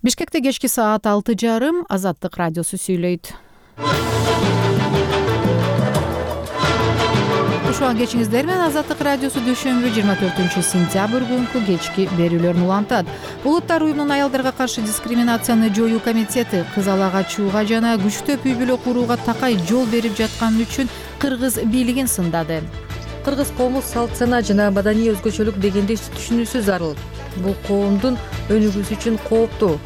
Бишкекте кечки саат 6:30 Азаттык радиосу сүйлөйт. Ушуга кечиңиздер менен Азаттык радиосу дүйшөмбү 24-сентябрь күнкү кечки берүүлөрүн улантат. Улуттар уюмунун аялдарга каршы дискриминацияны жоюу комитети кызала качууга жана күчтөп үй бүлө курууга такай жол берип жатканы үчүн кыргыз бийлигин сындады. Кыргыз коому салт сана жана маданий өзгөчөлүк дегенди түшүнүүсү зарыл. Бул коомдун өнүгүүсү үчүн кооптуу.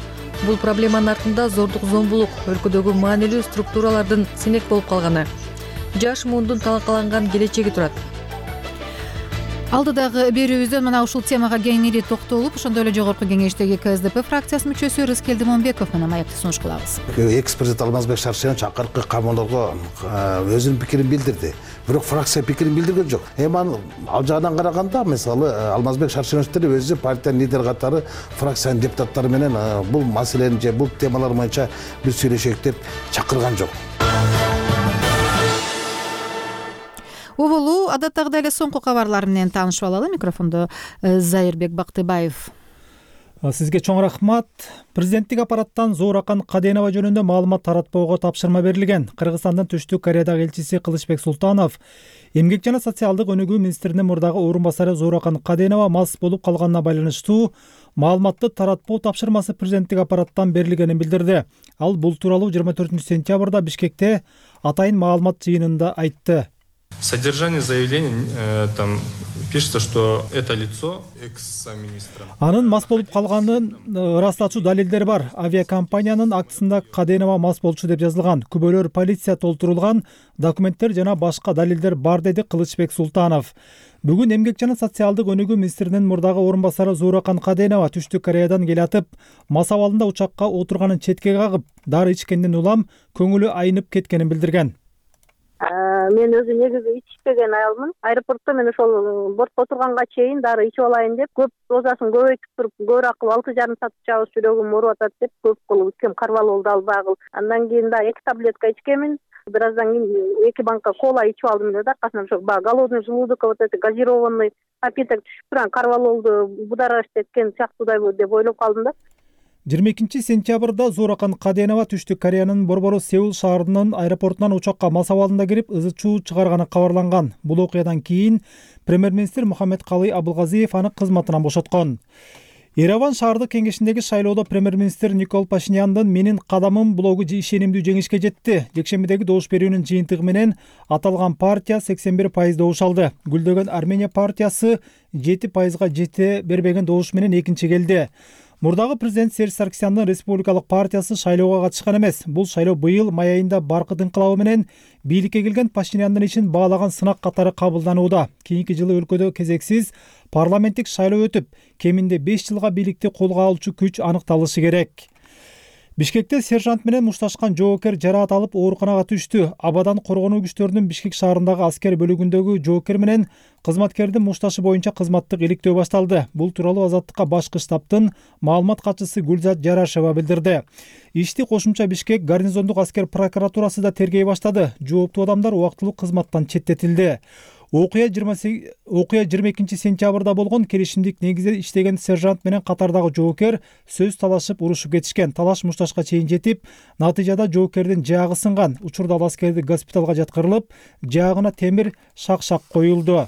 Бул проблеманын артында зордук зомбулук, өлкөдөгү маанилүү структуралардын сенек болуп калганы, жаш муундун талкаланган келечеги турат. Алдыдагы берүүбүздөн мына ушул темага кеңири токтолуп, ошондой эле жогорку кеңештеги КСДП фракциясынын мүчөсү Рыскелди Момбеков менен маекти сунуш кылабыз. Экс-президент Алмазбек Шаршенович акыркы камоолорго өзүнүн пикирин билдирди. Бирок фракция пикирин билдирген жок. Эми ал жагынан караганда, мисалы Алмазбек Шаршеновичтер өзү партиянын лидери катары фракциянын депутаттары менен бул маселени же бул темалар боюнча биз сүйлөшөйүк деп чакырган жок. Убулу адаттагыдай эле соңку кабарлар менен таанышып алалы. Микрофондо Зайырбек Бактыбаев. Сизге чоң рахмат. Президенттик аппараттан Зооракан Каденова жөнүндө маалымат таратпоого тапшырма берилген. Кыргызстандын Түштүк Кореядагы элчиси Кылычбек Султанов эмгек жана социалдык өнүгүү министринин мурдагы орун басары Зооракан Каденова мас болуп калганына байланыштуу маалыматты таратпоо тапшырмасы президенттик аппараттан берилгенин билдирди. Ал бул тууралуу 24-сентябрда Бишкекте атайын маалымат жыйынында айтты. Содержание заявления там пишется, что это лицо экс-министра. Анын мас болуп калганын ырастачу далилдери бар. Авиакомпаниянын актысында Каденова мас болчу деп жазылган. Күбөлөр полиция толтурулган, документтер жана башка далилдер бар, деди Кылычбек Султанов. Бүгүн эмгек жана социалдык өнүгүү министринин мурдагы орун басары Зооракан Каденова Түштүк Кореядан келатып, мас абалында учакка отурганын четке кагып, дары ичкенден улам көңүлү айнып кеткенин билдирген. Мен өзү негизи ичпеген аялмын. Аэропортто мен ошол бортко отурганга чейин дары ичип алайын деп, көп дозасын көбөйтүп туруп, көбүрөөк кылып 6,5 саат чабыс жүрөгүм ооруп атат деп көп кылып ичкем, карвал болду албагыл. Андан кийин да 2 таблетка ичкемин. Бир аздан кийин 2 банка кола ичип алдым эле да, аркасынан ошо голодный желудок, вот это газированный напиток түшүп турган карвал болду, будараш кеткен сыяктуудай деп ойлоп калдым да. 22-сентябрда Зооракан Каденова Түштүк Кореянын борбору Сеул шаарынын аэропортунан учакка мас абалында кирип, ызы-чуу чыгарганы кабарланган. Бул окуядан кийин премьер-министр Мухаммедкалый Абылгазиев аны кызматынан бошоткон. Ереван шаардык кеңешиндеги шайлоодо премьер-министр Никол Пашиняндын "Менин кадамым" блогу ишенимдүү жеңишке жетти. Жекшембидеги добуш берүүнүн жыйынтыгы менен аталган партия 81% добуш алды. Гүлдөгөн Армения партиясы 7%га жете бербеген добуш менен экинчи келди. Мурдагы президент Серж Сарксяндын республикалык партиясы шайлоого катышкан эмес. Бул шайлоо быйыл май айында баркыт инкылабы менен бийликке келген Пашиняндын ишин баалаган сынак катары кабылданууда. Кийинки жылы өлкөдө кезексиз парламенттик шайлоо өтүп, кеминде 5 жылга бийликти колго алуучу күч аныкталышы керек. Бишкекте сержант менен мушташкан жоокер жараат алып ооруканага түштү. Абадан коргонуу күчтөрүнүн Бишкек шаарындагы аскер бөлүгүндөгү жоокер менен кызматкердин мушташы боюнча кызматтык иликтөө башталды. Бул тууралуу Азаттыкка башкы штабтын маалымат катчысы Гүлзат Жарашева билдирди. Ишти кошумча Бишкек гарнизондук аскер прокуратурасы да тергей баштады. Жооптуу адамдар убактылуу кызматтан четтетилди. Окуя 22-сентябрда болгон. Келишимдик негизде иштеген сержант менен катардагы жоокер сөз талашып урушуп кетишкен. Талаш мушташка чейин жетип, натыйжада жоокердин жаагы сынган. Учурда ал аскерди госпиталга жаткырылып, жаагына темир шак-шак коюлду.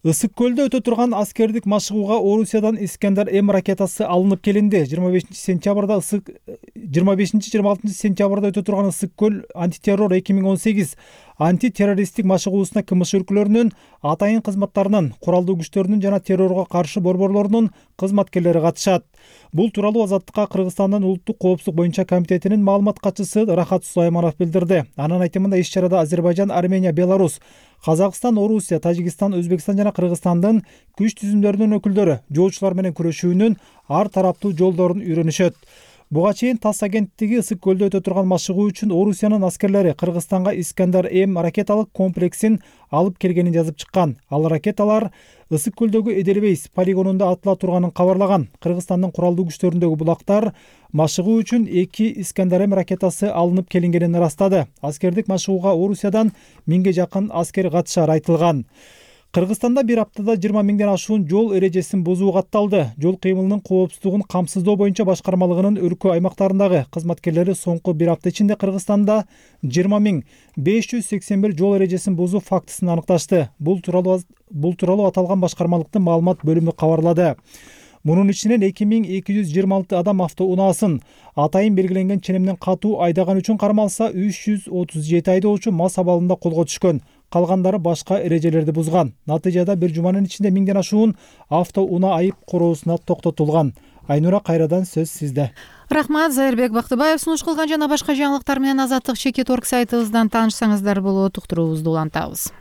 Ысык көлдө өтө турган аскердик машыгууга Орусиядан Искандер М ракетасы алынып келинди. 25-26 сентябрда өтө турган Ысык көл антитеррор 2018 антитеррористтик машыгуусуна КМШ өлкөлөрүнүн атайын кызматтарынын, куралдуу күчтөрүнүн жана террорго каршы борборлорунун кызматкерлери катышат. Бул тууралуу Азаттыкка Кыргызстандын улуттук коопсуздук боюнча комитетинин маалымат катчысы Рахат Сулайманов билдирди. Анын айтымында иш-чарада Азербайжан, Армения, Беларусь, Казакстан, Орусия, Тажикстан, Өзбекстан жана Кыргызстандын күч түзүмдөрүнүн өкүлдөрү жоочулар менен күрөшүүнүн ар тараптуу жолдорун үйрөнүшөт. Буга чейин ТАСС агенттиги Ысык көлдө өтө турган машыгуу үчүн Орусиянын аскерлери Кыргызстанга Искандер М ракеталык комплексин алып келгенин жазып чыккан. Ал ракеталар Ысык көлдөгү Эдельвейс полигонунда атыла турганын кабарлаган. Кыргызстандын куралдуу күчтөрүндөгү булактар машыгуу үчүн 2 Искандер М ракетасы алынып келингенин ырастады. Аскердик машыгууга Орусиядан 1000ге жакын аскер катышары айтылган. Кыргызстанда бир аптада 20 миңден ашуун жол эрежесин бузуу катталды. Жол кыймылынын коопсуздугун камсыздоо боюнча башкармалыгынын өлкө аймактарындагы кызматкерлери соңку бир апта ичинде Кыргызстанда 20.581 жол эрежесин бузуу фактысын аныкташты. Бул тууралуу аталган башкармалыктын маалымат бөлүмү кабарлады. Мунун ичинен 2226 адам автоунаасын атайын белгиленген ченемден катуу айдаган үчүн кармалса, 337 айдоочу мас абалында колго түшкөн. Калгандары башка эрежелерди бузган. Натыйжада бир жуманын ичинде 1000ден ашуун автоунаа айып короосуна токтотулган. Айнура, кайрадан сөз сизде. Рахмат, Зайырбек Бактыбаев сунуш кылган жана башка жаңылыктар менен Азаттык Чекит.орг сайтыбыздан таанышсаңыздар болот. Уктуруубузду улантабыз.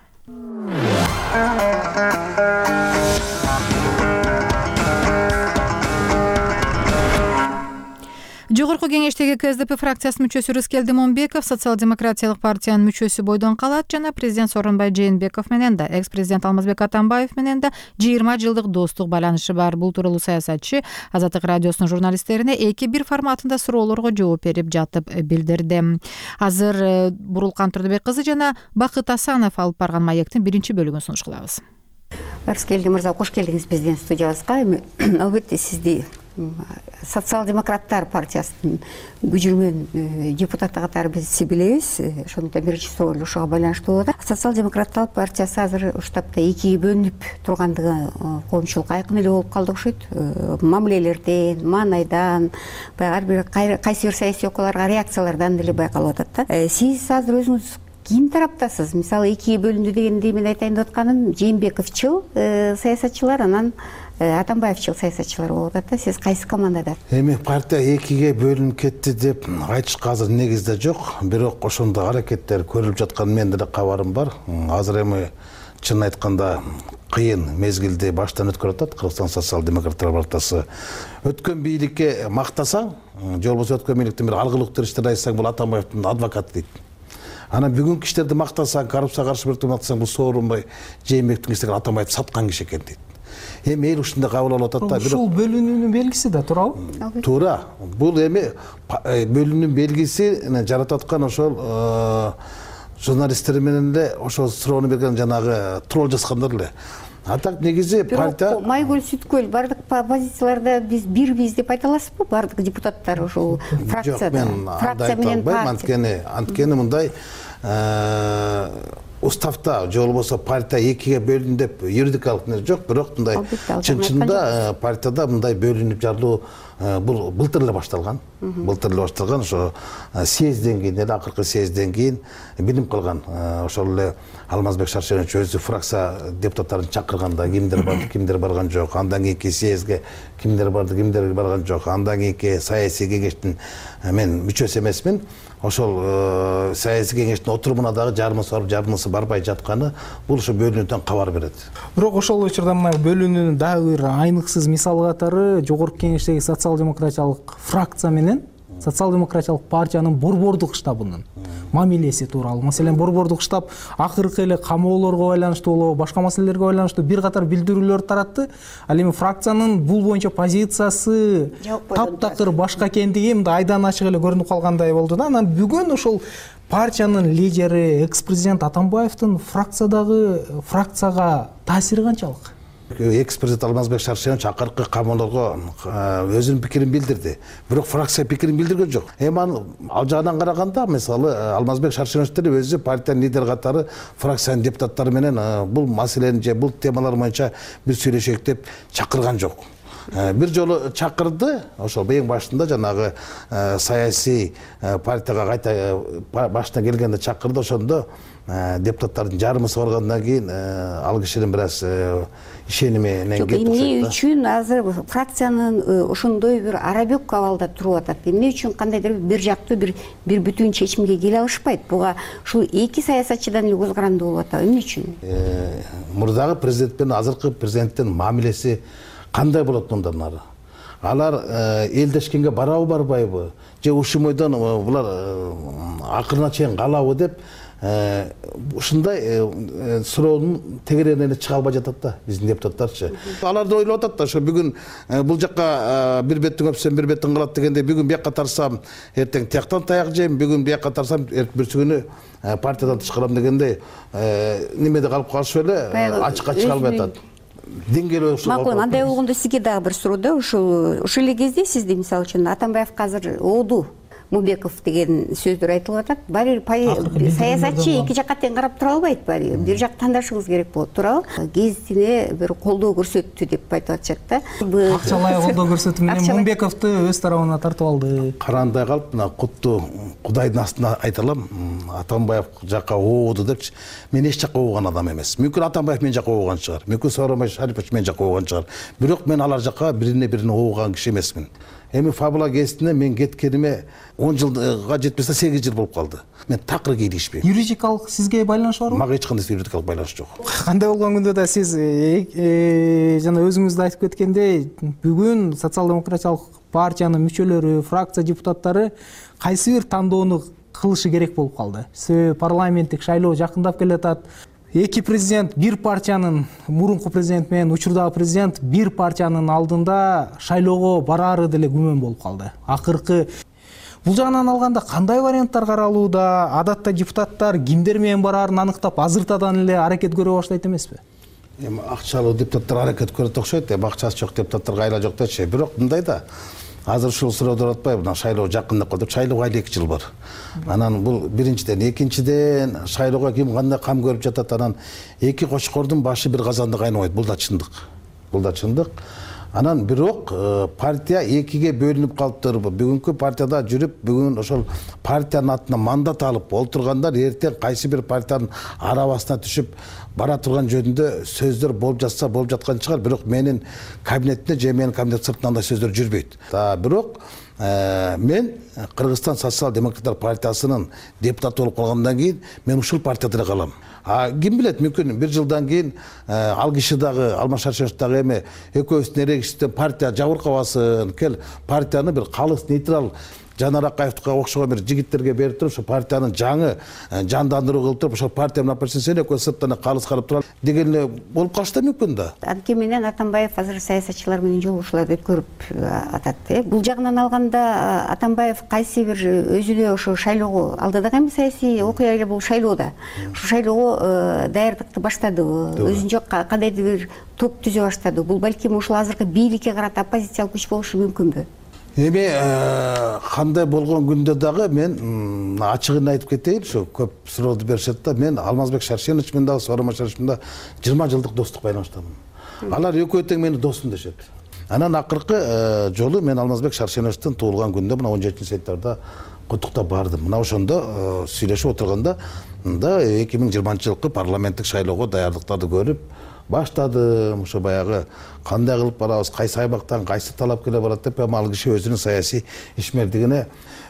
Жогорку кеңештеги КСДП фракциясынын мүчөсү Рыскелди Момбеков Социал-демократиялык партиянын мүчөсү бойдон калат жана президент Сооронбай Жээнбеков менен да экс-президент Алмазбек Атамбаев менен да 20 жылдык достук байланышы бар. Бул тууралуу саясатчы Азаттык радиосунун журналисттерине 2-1 форматында суроолорго жооп берип жатып билдирди. Азыр Бурулкан Турдубек кызы жана Бакыт Асанов алып барган маектин биринчи бөлүгүн сунуш кылабыз. Рыскелди мырза, кош келдиңиз биздин студиябызга. Албетте сизди Социал-демократтар партиясынын күжүрмөн депутаты катары биз билебиз. Ошондуктан биринчи суроол ушуга байланыштуу болот. Социал-демократтар партиясы азыр уштапта экиге бөлүнүп тургандыгы коомчулукка айкын эле болуп калды окшойт. Мамилелерден, маанайдан, ар бир кайсы бир саясий окуяларга реакциялардан деле байкалып атат да. Сиз азыр өзүңүз ким тараптасыз? Мисалы, экиге бөлүндү дегенди мен айтайын деп атканым, Жээнбековчул саясатчылар, анан Атамбаевчыл саясатчылар болуп атат да. Сиз кайсы командада? Эми партия экиге бөлүнүп кетти деп айтышка азыр негизде жок. Бирок ошондой аракеттер көрүлүп жаткан менде да кабарым бар. Азыр эми чын айтканда кыйын мезгилди баштан өткөрүп атат Кыргызстан социал-демократтар партиясы. Өткөн бийликке мактасаң, же болбосо өткөн бийликтен бир алгылыктуу иштер айтсаң, бул Атамбаевдин адвокаты дейт. Анан бүгүнкү иштерди мактасаң, коррупцияга каршы бирдик мактасаң, бул Сооронбай Жээнбектин иштеген Атамбаевди саткан киши экен дейт. Эми эл ушундай кабыл алып атат да. Ушул бөлүнүүнүн белгиси да туурабы? Туура. Бул эми бөлүнүүнүн белгиси жаратып аткан ошол журналисттер менен эле ошол суроону берген жанагы тролл жазгандар эле. А так негизи партия Майгүл Сүткөл бардык позицияларда биз бирбиз деп айта аласызбы? Бардык депутаттар ошол фракцияда. Фракция менен партия. Анткени мындай уставда же болбосо партия экиге бөлүндү деп юридикалык не жок, бирок мындай чын-чынында партияда мындай бөлүнүп жарылуу бул былтыр эле башталган. Ошо съездден кийин эле, акыркы съездден кийин билинип калган. Ошол эле Алмазбек Шаршенович өзү фракция депутаттарын чакырганда кимдер барды, кимдер барган жок. Андан кийинки съездге кимдер барды, кимдер барган жок. Андан кийинки саясий кеңештин мен мүчөсү эмесмин. Ошол саясий кеңештин отурумуна дагы жарымысы барып, жарымысы барбай жатканы бул ошо бөлүнүүдөн кабар берет. Бирок ошол учурда мына бөлүнүүнүн дагы бир айныксыз мисалы катары жогорку кеңештеги социал-демократиялык фракция менен социал-демократиялык партиянын борбордук штабынын мамилеси тууралуу. Маселен, борбордук штаб акыркы эле камоолорго байланыштуу болобу, башка маселелерге байланыштуу бир катар билдирүүлөр таратты. Ал эми фракциянын бул боюнча позициясы таптакыр башка экендиги мындай айдан ачык эле көрүнүп калгандай болду да. Анан бүгүн ошол партиянын лидери экс-президент Атамбаевдин фракцияга таасири канчалык? Экс-президент Алмазбек Шаршенович акыркы камоолорго өзүнүн пикирин билдирди. Бирок фракция пикирин билдирген жок. Эми ал жагынан караганда, мисалы, Алмазбек Шаршенович деле өзү партиянын лидери катары фракциянын депутаттары менен бул маселени же бул темалар боюнча бир сүйлөшөйүк деп чакырган жок. Бир жолу чакырды, ошол эң башында жанагы саясий партияга кайта башына келгенде чакырды. Ошондо депутаттардын жарымысы баргандан кийин ал кишинин бир аз ишениминен кетти. Эмне үчүн азыр фракциянын ошондой бир арабек абалда туруп атат? Эмне үчүн кандайдыр бир жактуу бир бүтүн чечимге келе алышпайт? Буга ушул эки саясатчыдан эле көзкарандуу болуп атат. Эмне үчүн? Мурдагы президент менен азыркы президенттин мамилеси кандай болот мындан ары? Алар элдешкенге барабы барбайбы? Же ушул мойдон булар акырына чейин калабы деп ушундай суроонун тегерегине эле чыга албай жатат да биздин депутаттарчы. Алар да ойлоп атат да ошо бүгүн бул жакка бир беттин өпсөм бир беттин калат дегенде бүгүн бияка тарсам эртең тияктан таяк жейм, бүгүн бияка тарсам бүрсү күнү партиядан тышкарам дегенде немеде калып калышып эле ачыкка чыга албай атат. Деңгээлөө ушул. Макул, андай болгондо сизге дагы бир суроо да, ушул эле кезде сизди мисалы үчүн Атамбаевге азыр ооду Мумбеков деген сөздөр айтылып атат. Баары бир саясатчы эки жакка тең карап тура албайт, баары бир жак тандашыңыз керек болот, туурабы? Гезитине бир колдоо көрсөттү деп айтып атышат да. Акчалай колдоо көрсөтүү менен Мумбековду өз тарабына тартып алды. Карандай калып, мына кутту Кудайдын астына айта алам, Атамбаев жакка ооду депчи. Мен эч жакка ооган адам эмес. Мүмкүн Атамбаев мен жакка ооган чыгар. Мүмкүн Сооронбай Шарипович мен жакка ооган чыгар. Бирок мен алар жакка бирине ооган киши эмесмин. Эми Фабула гезитине мен кеткениме 10 жылга жетпесе 8 жыл болуп калды. Мен такыр кийлигишпейм. Юридикалык сизге байланышы барбы? Мага эч кандай юридикалык байланыш жок. Кандай болгон күндө да сиз жана өзүңүз да айтып кеткендей, бүгүн социал-демократиялык партиянын мүчөлөрү, фракция депутаттары кайсы бир тандоону кылышы керек болуп калды. Себеби парламенттик шайлоо жакындап келатат. Эки президент бир партиянын, мурунку президент менен учурдагы президент бир партиянын алдында шайлоого бараары деле күмөн болуп калды. Акыркы бул жагынан алганда кандай варианттар каралууда? Адатта депутаттар кимдер менен бараарын аныктап азыртадан эле аракет көрө баштайт эмеспи? Эми акчалуу депутаттар аракет көрөт окшойт, акчасы жок депутаттарга айла жок дечи. Бирок мындай да, азыр ушул сурооду атпайбы, мына шайлоо жакындап калды. Шайлоого айла 2 жыл бар. Анан бул биринчиден, экинчиден шайлоого ким кандай кам көрүп жатат, анан эки кочкордун башы бир казанда кайнабайт. Бул да чындык. Бул да чындык. Анан бирок партия экиге бөлүнүп калыптыр. Бүгүнкү партияда жүрүп, бүгүн ошол партиянын атына мандат алып олтургандар эртең кайсы бир партиянын арабасына түшүп бара турган жөнүндө сөздөр болуп жатса болуп жаткан чыгар. Бирок менин кабинетимде же менин кабинет сыртынан андай сөздөр жүрбөйт. Бирок мен Кыргызстан социал-демократтар партиясынын депутаты болуп калгандан кийин мен ушул партияда эле калам. Ким билет, мүмкүн 1 жылдан кийин ал киши дагы, Алмаз Шаршенович дагы эми экөөбүздүн эрегибизден партия жабыркабасын, кел партияны бир калыс нейтрал Жанар Акаевге окшогон бир жигиттерге берип туруп, ошо партиянын жаңы жандандыруу кылып туруп, ошо партия менен сен экөө сырттан калыс карап туралы деген эле болуп калышы да мүмкүн да. Анткени менен Атамбаев азыр саясатчылар менен жолугушуулар деп көрүп атат. Бул жагынан алганда Атамбаев кайсы бир өзүнө ошо шайлоого алдыдагы эми саясий окуя эле бул шайлоодо. Ошо шайлоого даярдыкты баштадыбы? Өзүнчө кандайдыр бир топ түзө баштадыбы? Бул балким ушул азыркы бийликке карата оппозициялык күч болушу мүмкүнбү? Эми кандай болгон күндө дагы мен ачыгын айтып кетейин, ошо көп сурооду беришет да, мен Алмазбек Шаршенович менен дагы Сооронбай Шарипович менен дагы 20 жылдык достук байланыштамын. Алар экөө тең мени досум дешет. Анан акыркы жолу мен Алмазбек Шаршеновичтин туулган күндө мына 17-сентябрда куттуктап бардым. Мына ошондо сүйлөшүп отурганда 2020-жылкы парламенттик шайлоого даярдыктарды көрүп баштадым. Ошо баягы кандай кылып барабыз, кайсы аймактан кайсы талап келе барат деп, ал киши өзүнүн саясий ишмердигине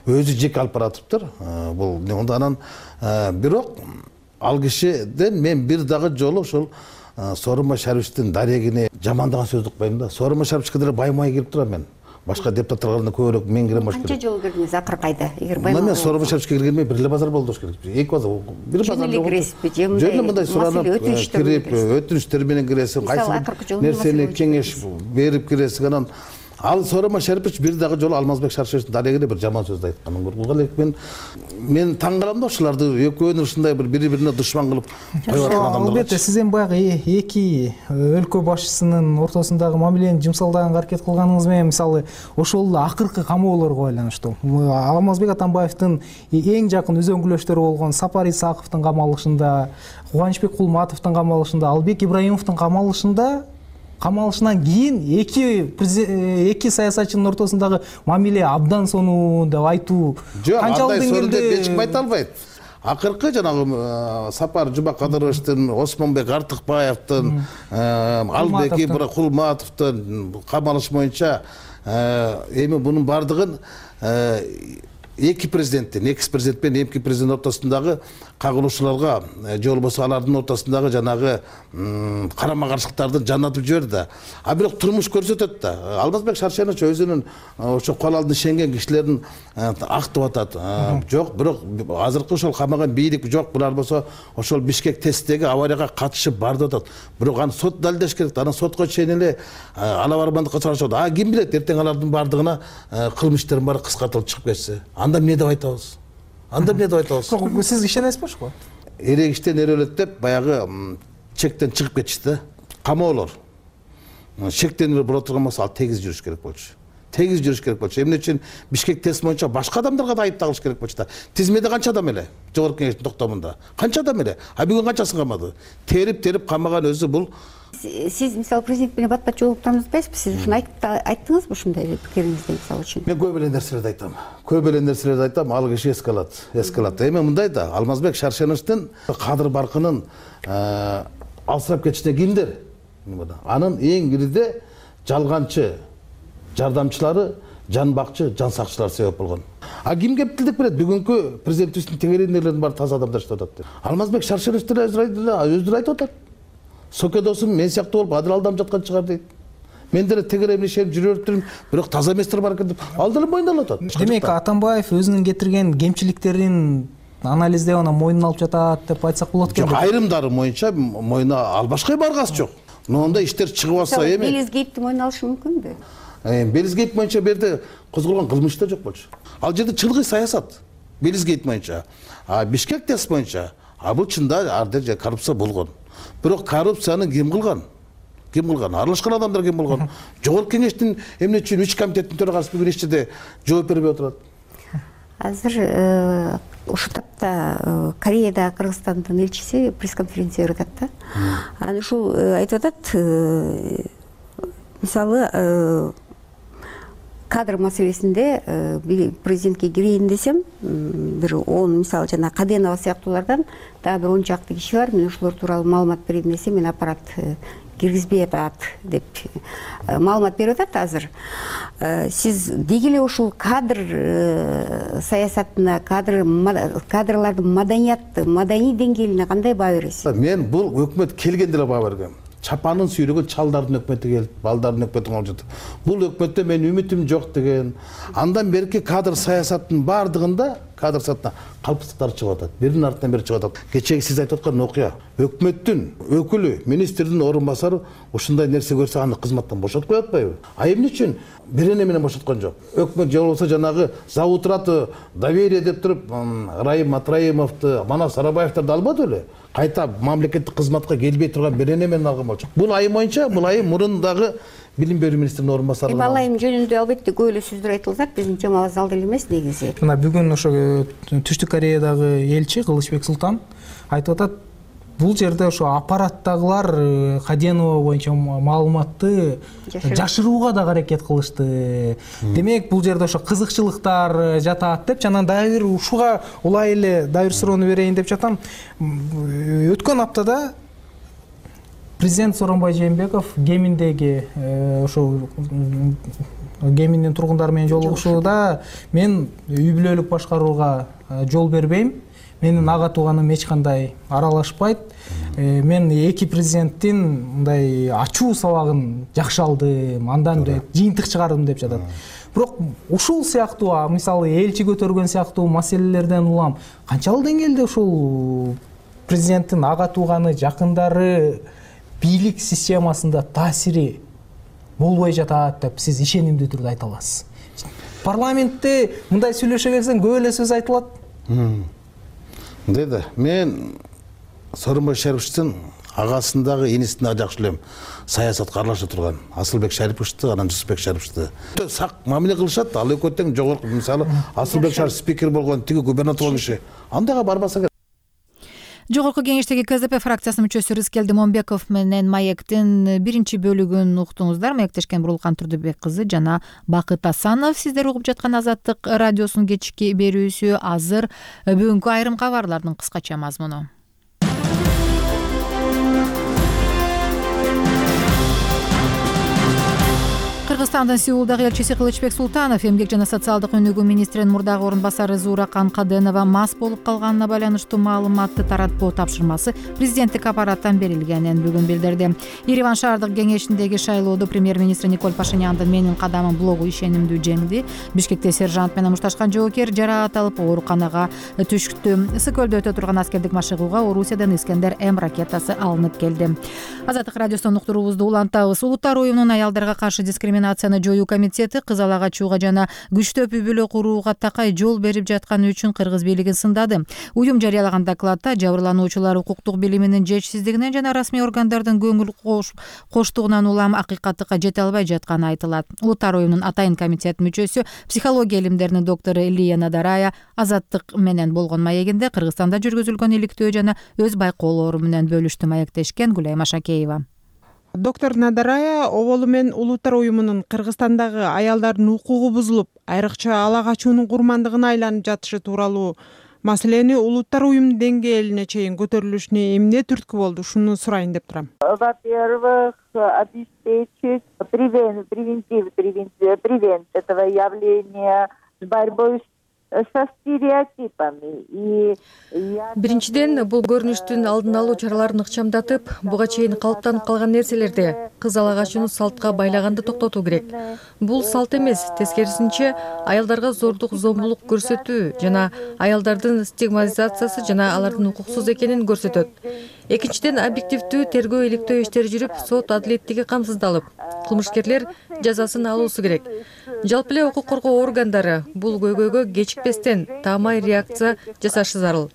өзү жеке алып баратыптыр. Бул анан бирок ал кишиден мен бир дагы жолу ошол Сооронбай Шариповичтин дарегине жамандаган сөз укпайм да. Сооронбай Шариповичке деле баймай келип турам мен. Башка депутаттарга көбүрөөк мен кирем баш керек. Канча жолу кирдиңиз акыркы айда? Эгер баймай. Мен Сооронбай Шариповичке киргенме бир эле базар болду керек. Эки базар, бир базар жок. Жөн эле мындай суранып кирип, өтүнүчтөр менен киресиң, кайсы нерсени кеңеш берип киресиң. Анан ал Сооронбай Шарипович бир дагы жолу Алмазбек Шаршеновичтин дарегине бир жаман сөз айткан. Бул элек мен таң калам да ушуларды экөөнү ушундай бир бири-бирине душман кылып коюп аткан адамдар. Албетте сиз эми баягы эки өлкө башчысынын ортосундагы мамилени жымсалдаганга аракет кылганыңыз менен мисалы ошол эле акыркы камоолорго байланыштуу. Алмазбек Атамбаевдин эң жакын үзөңгүлөштөрү болгон Сапар Исаковдун камалышында, Кубанычбек Кулматовдун камалышында, Албек Ибраимовдун камалышынан кийин эки саясатчынын ортосундагы мамиле абдан сонун деп айтуу канчалык деңгээлде эчким айта албайт. Акыркы жанагы Сапар Жумакадыровичтин, Осмонбек Артыкбаевдин, Албек Кулматовдун камалышы боюнча эми бунун бардыгын эки президенттин, экс президент менен эмки президент ортосундагы кагылышууларга же болбосо алардын ортосундагы жанагы карама каршылыктарды жанатып жиберди да. А бирок турмуш көрсөтөт да. Алмазбек Шаршенович өзүнүн ошо кол алдына ишенген кишилерин актып атат. Жок, бирок азыркы ошол камаган бийлик жок, булар болсо ошол Бишкек тесттеги аварияга катышып бар деп атат. Бирок аны сот далилдеш керек. Анан сотко чейин эле ала барбандыкка чыгарышат. А ким билет, эртең алардын бардыгына кылмыш иштердин баары кыскартылып чыгып кетсе. Анда эмне деп айтабыз? Сиз ишенесизби ошого? Эрек иштен эр өлөт деп баягы чектен чыгып кетишти да. Камоолор. Чектен бура турган болсо ал тегиз жүрүш керек болчу. Тегиз жүрүш керек болчу. Эмне үчүн Бишкек тест боюнча башка адамдарга да айып тагылыш керек болчу да. Тизмеде канча адам эле? Жогорку кеңештин токтомунда. Канча адам эле? А бүгүн канчасын камады? Терип камаган өзү бул. Сиз мисалы президент менен бат-бат жолуктуруп атпайсызбы? Сиз ушуну айттыңызбы ушундай пикириңизди мисалы үчүн? Мен көп эле нерселерди айтам. Ал киши эске алат. Эми мындай да, Алмазбек Шаршеновичтин кадыр баркынын алсырап кетишине кимдер? Анын эң ириде жалганчы жардамчылары, жан бакчы, жан сакчылар себеп болгон. А ким кептилдик берет? Бүгүнкү президентибиздин тегерендерлердин баары таза адамдар иштеп атат деп. Алмазбек Шаршенович өзү айтып атат. Соке досум мен сыяктуу болуп адил алдам жаткан чыгар дейт. Мен деле тегеремин ишенип жүрүп жүрүм, бирок таза эместер бар экен деп ал деле мойнуна алып атат. Демек Атамбаев өзүнүн кетирген кемчиликтерин анализдеп анан мойнуна алып жатат деп айтсак болот экен. Жок, айрымдары моюнча мойнуна албашка баргасы жок. Но онда иштер чыгып атса эми Белизгейипти мойнуна алышы мүмкүнбү? Белизгейп боюнча берде козголгон кылмыш да жок болчу. Ал жерде чылгый саясат. Белизгейп боюнча. А Бишкек тест боюнча бул чында ар жерде коррупция болгон. Бирок коррупцияны ким кылган? Аралашкан адамдар ким болгон? Жогорку кеңештин эмне үчүн 3 комитеттин төрагасы бүгүн эч жерде жооп бербей отурат? Азыр ушул тапта Кореяда Кыргызстандын элчиси пресс-конференция берип атат да. Анан ушул айтып атат, мисалы кадр маселесинде президентке кирейин десем, бир 10 мисалы жана Каденова сыяктуулардан дагы бир 10 чакты киши бар. Мен ошолор тууралуу маалымат берейин десем, мен аппарат киргизбей атат деп маалымат берип атат азыр. Сиз деги эле ушул кадр саясатына, кадрлардын маданий деңгээлине кандай баа бересиз? Мен бул өкмөт келгенде эле баа бергем. Чапанын сүйрөгөн чалдардын өкмөтү келип, балдардын өкмөтүн алып жатат. Бул өкмөттө мен үмүтүм жок деген. Андан берки кадр саясаттын бардыгында кадр саясатына калпсыздыктар чыгып атат. Биринин артынан бири чыгып атат. Кечеги сиз айтып аткан окуя. Өкмөттүн өкүлү, министрдин орун басары ушундай нерсе көрсө аны кызматтан бошотуп коет атпайбы? А эмне үчүн бирене менен бошоткон жок? Өкмөт же болбосо жанагы завутраты доверие деп туруп Райым Матраимовду, Манас Сарабаевдерди албады беле? Кайта мамлекеттик кызматка келбей турган бирене менен алган болчу. Бул айым боюнча, бул айым мурындагы билим берүү министринин орун басары. Ал айым жөнүндө албетте көп эле сөздөр айтылат, биздин темабыз ал деле эмес негизи. Мына бүгүн ошо Түштүк Кореядагы элчи Кылычбек Султан айтып атат, бул жерде ошо аппараттагылар Каденова боюнча маалыматты жашырууга да аракет кылышты. Демек бул жерде ошо кызыкчылыктар жатат деп, жана дагы бир ушуга улай эле дагы бир суроону берейин деп жатам. Өткөн аптада президент Сооронбай Жээнбеков Геминдеги ошо Геминдин тургундары менен жолугушууда мен үй бүлөлүк башкарууга жол бербейм. Менин ага тууганым эч кандай аралашпайт. Мен эки президенттин мындай ачуу сабагын жакшы алдым, андан жыйынтык чыгардым деп жатат. Бирок ушул сыяктуу, мисалы элчи көтөргөн сыяктуу маселелерден улам канчалык деңгээлде ушул президенттин ага тууганы, жакындары бийлик системасында таасири болбой жатат деп сиз ишенимдүү түрдө айта аласыз? Парламентте мындай сүйлөшө келсең көп эле сөз айтылат. Деди, мен Сооронбай Шариповичтин агасындагы инисине жакшы элем саясатка аралаша турган Асылбек Шариповичти, анан Жусупбек Шариповичти сак мамиле кылышат. Ал экөө тең жогорку, мисалы Асылбек Шарипов спикер болгон, тиги губернатор болгон киши. Андайга барбаса керек. Жогорку кеңештеги КЗП фракциясынын мүчөсү Рыскелди Момбеков менен Маектин биринчи бөлүгүн уктуңуздар. Маектешкен Бурулкан Турдубек кызы жана Бакыт Асанов. Сиздер угуп жаткан Азаттык радиосунун кечки берүүсү. Азыр бүгүнкү айрым кабарлардын кыскача мазмуну. Кыргызстандын Сеулдагы элчиси Кылычбек Султанов эмгек жана социалдык өнүгүү министринин мурдагы орун басары Зууракан Каденова мас болуп калганына байланыштуу маалыматты таратпоо тапшырмасы президенттик аппараттан берилгенин бүгүн билдирди. Ереван шаардык кеңешиндеги шайлоодо премьер-министр Николь Пашиняндын «Менин кадамым» блогу ишенимдүү жеңди. Бишкекте сержант менен мушташкан жоокер жараат алып ооруканага түштү. Ысык көлдө өтө турган аскердик машыгууга Орусиядан Искендер М ракетасы алынып келди. Азаттык радиосунун уктуруубузду улантабыз. Улуттар уюмунун аялдарга каршы дискриминацияны жоюу комитети кызал ак ачууга жана күчтөп үй бүлө курууга такай жол берип жатканы үчүн кыргыз бийлигин сындады. Уюм жарыялаган докладта жабырлануучулар укуктук билиминин жетишсиздигинен жана расмий органдардын көңүл коштугунан улам акыйкаттыкка жете албай жатканы айтылат. Улуттар уюмунун атайын комитет мүчөсү, психология илимдеринин доктору Лия Надарая Азаттык менен болгон маегинде Кыргызстанда жүргүзүлгөн иликтөө жана өз байкоолору менен бөлүштү. Маектешкен Гүлайым Ашакеева. Доктор Надарая оболу менен Улуттар уюмунун Кыргызстандагы аялдардын укугу бузулуп, айрыкча ала качуунун курмандыгына айланып жатышы тууралуу маселени Улуттар уюм деңгээлине чейин көтөрүлүшүнө эмне түрткү болду, ушуну сурайын деп турам. Во-первых, обеспечить превент этого явления с борьбой со стереотипами. Биринчиден, бул көрүнүштүн алдын алуу чараларын ыкчамдатып, буга чейин калыптанып калган нерселерди, кыз ала качууну салтка байлаганды токтотуу керек. Бул салт эмес, тескерисинче аялдарга зордук, зомбулук көрсөтүү жана аялдардын стигматизациясы жана алардын укуксуз экенин көрсөтөт. Экинчиден, объективдүү тергөө иликтөө иштери жүрүп, сот адилеттиги камсыздалып, кылмышкерлер жазасын алуусу керек. Жалпы эле укук коргоо органдары бул көйгөйгө кечикпестен таамай реакция жасашы зарыл.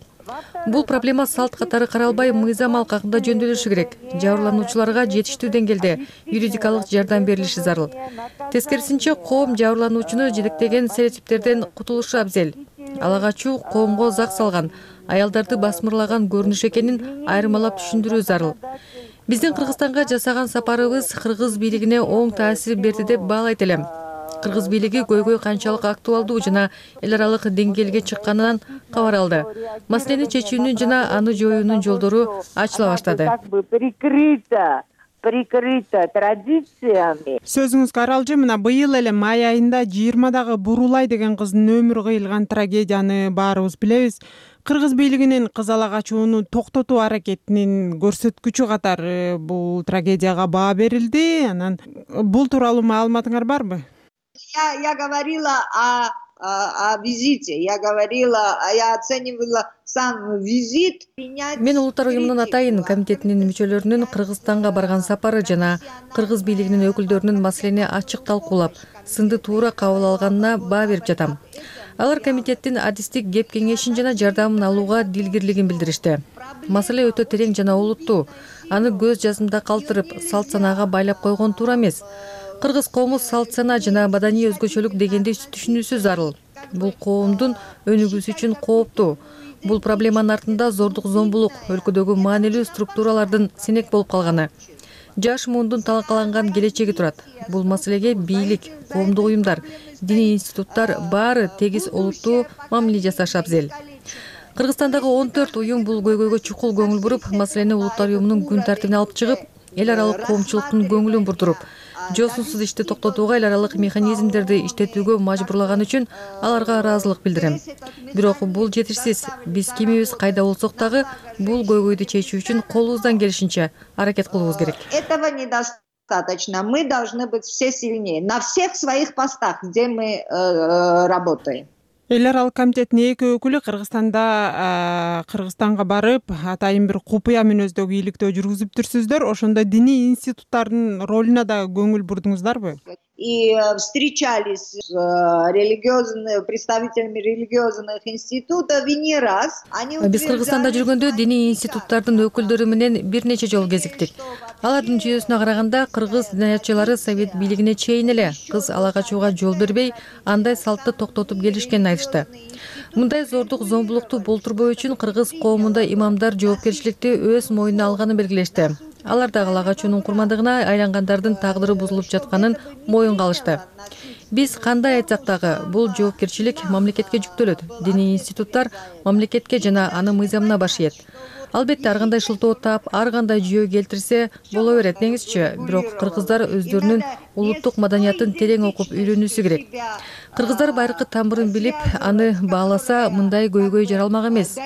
Бул проблема салт катары каралбай, мыйзам алкагында жөндөтүлүшү керек. Жабырлануучуларга жетиштүү деңгээлде юридикалык жардам берилиши зарыл. Тескерисинче, коом жабырлануучуну жетектеген стереотиптерден кутулушу абзел. Ала качуу коомго зак салган, аялдарды басмырлаган көрүнүш экенин айырмалап түшүндүрүү зарыл. Биздин Кыргызстанга жасаган сапарыбыз кыргыз бийлигине оң таасир берди деп баалайт элем. Кыргыз бийлиги көйгөй канчалык актуалдуу жана эл аралык деңгээлге чыкканынан кабар алды. Маселени чечүүнүн жана аны жоюунун жолдору ачыла баштады. Прикрыто традициями. Сөзүңүзгө аралжы, мына быйыл эле май айында 20-дагы Бурулай деген кыздын өмүрү кыйылган трагедияны баарыбыз билебиз. Кыргыз бийлигинин кыз ала качууну токтотуу аракетинин көрсөткүчү катары бул трагедияга баа берилди. Анан бул тууралуу маалыматыңар барбы? Я говорила о визите, я оценивала сам визит. Мен Улуттар уюмунун атайын комитетинин мүчөлөрүнүн Кыргызстанга барган сапары жана кыргыз бийлигинин өкүлдөрүнүн маселени ачык талкуулап, сынды туура кабыл алганына баа берип жатам. Алар комитеттин адистик кеп кеңешин жана жардамын алууга дилгирлигин билдиришти. Маселе өтө терең жана олуттуу. Аны көз жазымда калтырып, салт санаага байлап койгон туура эмес. Кыргыз коому салт сана жана маданий өзгөчөлүк дегенди түшүнүүсү зарыл. Бул коомдун өнүгүүсү үчүн кооптуу. Бул проблеманын артында зордук, зомбулук, өлкөдөгү маанилүү структуралардын сенек болуп калганы, жаш муундун талкаланган келечеги турат. Бул маселеге бийлик, коомдук уюмдар, диний институттар баары тегиз олуттуу мамиле жасашы абзел. Кыргызстандагы 14 уюм бул көйгөйгө чукул көңүл буруп, маселени Улуттар уюмунун күн тартибине алып чыгып, эл аралык коомчулуктун көңүлүн бурдуруп, жосунсуз ишти токтотууга эл аралык механизмдерди иштетүүгө мажбурлаган үчүн аларга ыраазылык билдирем. Бирок бул жетишсиз. Биз кимибиз кайда болсок дагы бул көйгөйдү чечүү үчүн колубуздан келишинче аракет кылуубуз керек. Этого недостаточно. Мы должны быть все сильнее на всех своих постах, где мы работаем. Эл аралык комитеттин эки өкүлү Кыргызстанга барып, атайын бир купуя мүнөздөгү иликтөө жүргүзүптүрсүздөр. Ошондо диний институттардын ролуна да көңүл бурдуңуздарбы? И встречались с представителями религиозных институтов и не раз. Биз Кыргызстанда жүргөндө диний институттардын өкүлдөрү менен бир нече жолу кезиктик. Алардын жүйөсүнө караганда кыргыз диниятчылары совет бийлигине чейин эле кыз ала качууга жол бербей, андай салтты токтотуп келишкенин айтышты. Мындай зордук, зомбулукту болтурбоо үчүн кыргыз коомунда имамдар жоопкерчиликти өз мойнуна алганын белгилешти. Алар да ала качуунун курмандыгына айлангандардын тагдыры бузулуп жатканын моюнга алышты. Биз кандай айтсак дагы бул жоопкерчилик мамлекетке жүктөлөт. Диний институттар мамлекетке жана анын мыйзамына баш ийет. Албетте ар кандай шылтоо тап, ар кандай жүйө келтирсе боло берет деңизчи. Бирок кыргыздар өздөрүнүн улуттук маданиятын терең окуп үйрөнүүсү керек. Кыргыздар байыркы тамырын билип, аны бааласа мындай көйгөй жаралмак эмес.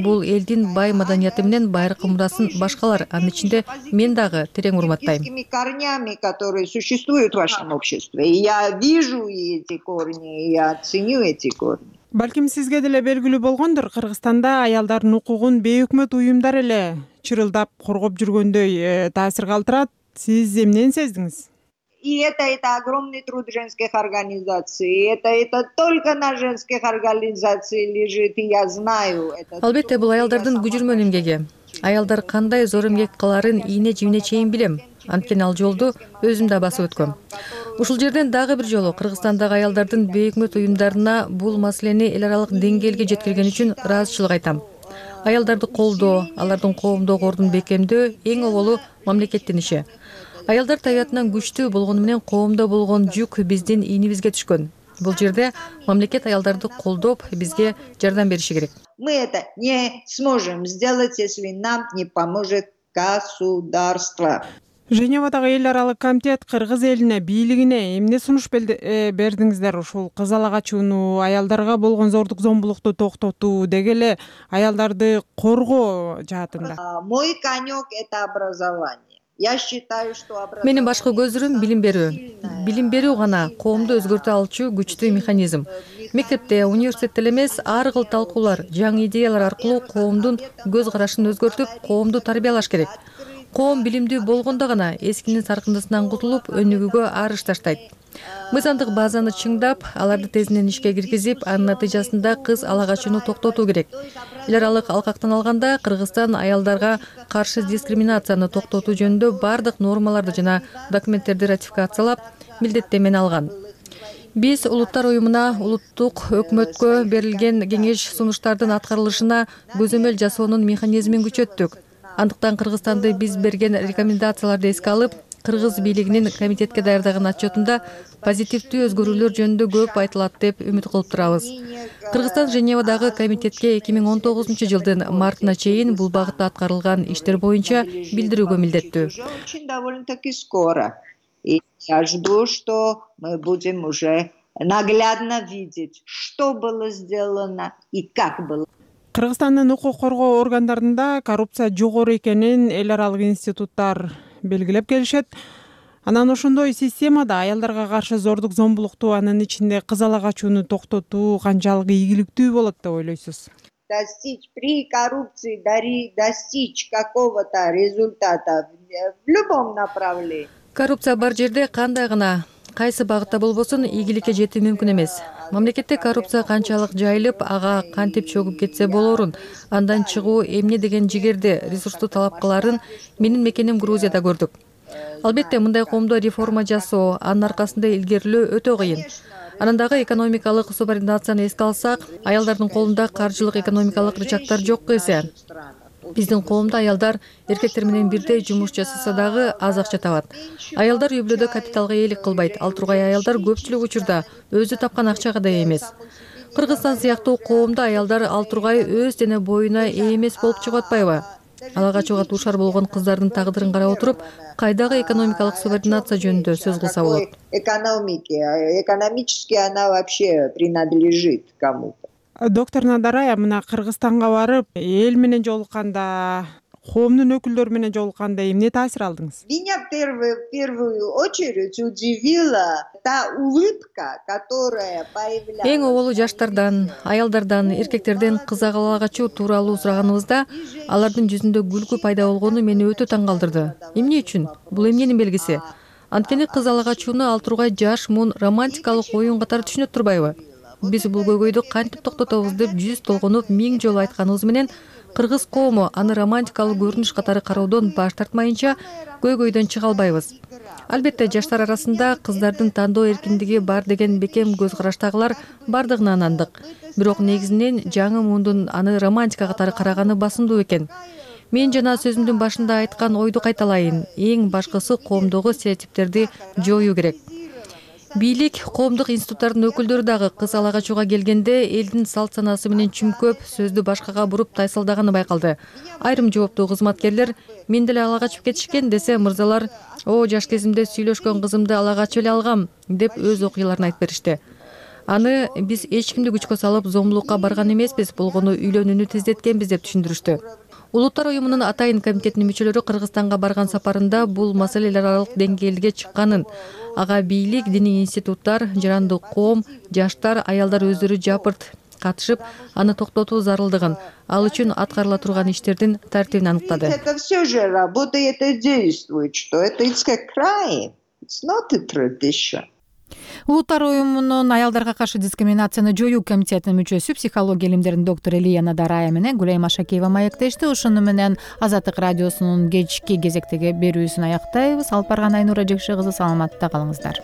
Бул элдин бай маданияты менен байыркы мурасын башкалар, анын ичинде мен дагы терең урматтайм. Корнями, которые существуют в вашем обществе. Я вижу эти корни, я ценю эти корни. Балким сизге деле белгилүү болгондур, Кыргызстанда аялдардын укугун бейөкмөт уюмдар эле чырылдап коргоп жүргөндөй таасир калтырат. Сиз эмнени сездиңиз? И это огромный труд женских организаций. Это только на женских организациях лежит, и я знаю. Албетте бул аялдардын күжүрмөн эмгеги. Аялдар кандай зор эмгек кыларын ийне жибине чейин билем. Анткени ал жолду өзүм да басып өткөм. Ушул жерден дагы бир жолу Кыргызстандагы аялдардын бейөкмөт уюмдарына бул маселени эл аралык деңгээлге жеткирген үчүн ыраазычылык айтам. Аялдарды колдоо, алардын коомдогу ордун бекемдөө эң оболу мамлекеттин иши. Аялдар табиятынан күчтүү болгону менен коомдо болгон жүк биздин ийнибизге түшкөн. Бул жерде мамлекет аялдарды колдоп, бизге жардам бериши керек. Мы это не сможем сделать, если нам не поможет государство. Женевадагы эл аралык комитет кыргыз элине, бийлигине эмне сунуш бердиңиздер? Ушул кызыл ага чууну, аялдарга болгон зордук зомбулукту токтотуу, деги эле аялдарды коргоо жаатында. Мой конек это образование. Я считаю, что образование. Менин башкы көзүрүм билим берүү. Билим берүү гана коомду өзгөртө алчу күчтүү механизм. Мектепте, университетте эмес, ар кыл талкуулар, жаңы идеялар аркылуу коомдун көз карашын өзгөртүп, коомду тарбиялаш керек. Коом билимдүү болгондо гана эскинин саркындысынан кутулуп, өнүгүүгө арыш таштайт. Мыйзамдык базаны чыңдап, аларды тезинен ишке киргизип, анын натыйжасында кыз ала качууну токтотуу керек. Эл аралык алкактан алганда Кыргызстан аялдарга каршы дискриминацияны токтотуу жөнүндө бардык нормаларды жана документтерди ратификациялап, милдеттенмени алган. Биз улуттар уюмуна, улуттук өкмөткө берилген кеңеш сунуштардын аткарылышына көзөмөл жасоонун механизмин күчөттүк. Андыктан Кыргызстанды биз берген рекомендацияларды эске алып, кыргыз бийлигинин комитетке даярдаган отчетунда позитивдүү өзгөрүүлөр жөнүндө көп айтылат деп үмүт кылып турабыз. Кыргызстан Женевадагы комитетке 2019 жылдын мартына чейин бул багытта аткарылган иштер боюнча билдирүүгө милдеттүү. Очень довольно-таки скоро. И я жду, что мы будем уже наглядно видеть, что было сделано и как было. Кыргызстандын укук коргоо органдарында коррупция жогору экенин эл аралык институттар белгилеп келишет. Анан ошондой системада аялдарга каршы зордук зомбулукту, анын ичинде кызыл ага чууну токтотуу канчалык ийгиликтүү болот деп ойлойсуз? При коррупции достичь какого-то результата в любом направлении. Коррупция бар жерде кандай гана кайсы багытта болбосун ийгиликке жетүү мүмкүн эмес. Мамлекетте коррупция канчалык жайылып, ага кантип чөгүп кетсе болорун, андан чыгуу эмне деген жигерди, ресурсту талап кыларын менин мекеним Грузияда көрдүк. Албетте мындай коомдо реформа жасоо, анын аркасында илгерилөө өтө кыйын. Анандагы экономикалык субординацияны эске алсак, аялдардын колунда каржылык экономикалык рычагдар жок эсе. Биздин коомдо аялдар эркектер менен бирдей жумуш жасаса дагы аз акча табат. Аялдар үй-бүлөдө капиталга ээлик кылбайт. Ал тургай аялдар көпчүлүк учурда өзү тапкан акчага да эмес. Кыргызстан сыяктуу коомдо аялдар ал тургай өз дене боюна ээ эмес болуп чыгып атпайбы? Ала качууга туушар болгон кыздардын тагдырын карап отуруп, кайдагы экономикалык субординация жөнүндө сөз кылса болот. Экономически она вообще принадлежит кому-то. Доктор Надарая, мына Кыргызстанга барып, эл менен жолукканда, коомдун өкүлдөрү менен жолукканда эмне таасир алдыңыз? Меня в первую очередь удивила та улыбка, которая появлялась. Эң оболу жаштардан, аялдардан, эркектерден кыз ала качуу тууралуу сураганыбызда, алардын жүзүндө күлкү пайда болгону мени өтө таң калтырды. Эмне үчүн? Бул эмненин белгиси? Анткени кыз ала качууну ал тургай жаш, мун, романтикалык оюн катары түшүнөт турбайбы? Биз бул көйгөйдү кантип токтотобуз деп жүз толгонуп 1000 жолу айтканыбыз менен кыргыз коому аны романтикалык көрүнүш катары кароодон баш тартмайынча көйгөйдөн чыга албайбыз. Албетте жаштар арасында кыздардын тандоо эркиндиги бар деген бекем көз караштагылар бардыгына ынандык. Бирок негизинен жаңы муундун аны романтика катары караганы басымдуу экен. Мен жана сөзүмдүн башында айткан ойду кайталайын. Эң башкысы коомдогу стереотиптерди жоюу керек. бийлик, коомдук институттардын өкүлдөрү дагы кыз ала качууга келгенде элдин салт санаасы менен чүмкөп, сөздү башкага буруп тайсалдаганы байкалды. Айрым жооптуу кызматкерлер мен деле ала качып кетишкен десе, мырзалар жаш кезимде сүйлөшкөн кызымды ала качып эле алгам деп өз окуяларын айтып беришти. Аны биз эч кимди күчкө салып зомбулукка барган эмеспиз, болгону үйлөнүүнү тездеткенбиз деп түшүндүрүштү. Улуттар уюмунун Атайын комитетинин мүчөлөрү Кыргызстанга барган сапарында бул маселелер аралык деңгээлге чыкканын, ага бийлик, диний институттар, жарандык коом, жаштар, аялдар өздөрү жапырт катышып, аны токтотуу зарылдыгын, ал үчүн аткарыла турган иштердин тартибин аныктады. Это все же работает и действует, что это crime, it's not a tradition. Улуттар уюмунун аялдарга каршы дискриминацияны жоюу комитетинин мүчөсү, психология илимдеринин доктору Элия Надарая менен Гүлайым Ашакеева маектешти. Ушуну менен Азаттык радиосунун кечки кезектеги берүүсүн аяктайбыз. Алып барган Айнура Жекше кызы, саламатта калыңыздар.